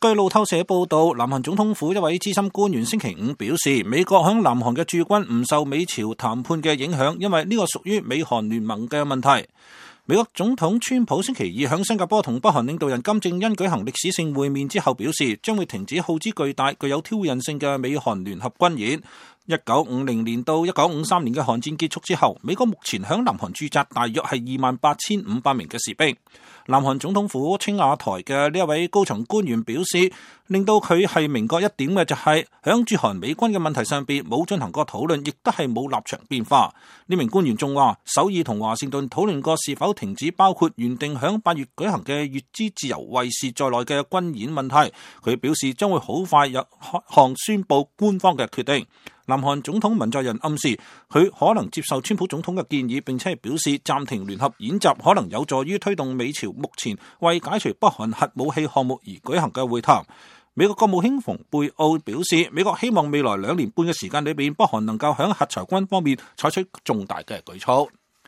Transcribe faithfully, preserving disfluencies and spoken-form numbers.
據路透社報道，南韓總統府一位資深官員星期五表示，美國響南韓嘅駐軍唔受美朝談判嘅影響，因為呢個屬於美韓聯盟嘅問題。美國總統川普星期二響新加坡同北韓領導人金正恩舉行歷史性會面之後表示，將會停止耗資巨大、具有挑釁性嘅美韓聯合軍演。一九五零年到一九五三年嘅韓戰結束之後，美國目前響南韓駐紮大約係二萬八千五百名嘅士兵。南韓總統府青瓦台嘅呢一位高層官員表示，令到佢係明確一點嘅就係響駐韓美軍嘅問題上邊冇進行過討論，亦都係冇立場變化。呢名官員仲話，首爾同華盛頓討論過是否停止包括原定響八月舉行嘅乙支自由衛士在內嘅軍演問題。佢表示將會好快有項宣佈官方嘅決定。南韓總統文在寅暗示佢可能接受川普總統嘅建議，並且表示暫停聯合演習可能有助於推動美朝目前為解除北韓核武器項目而舉行嘅會談。美國國務卿蓬佩奧表示，美國希望未來兩年半嘅時間裏邊，北韓能夠喺核裁軍方面採取重大嘅舉措。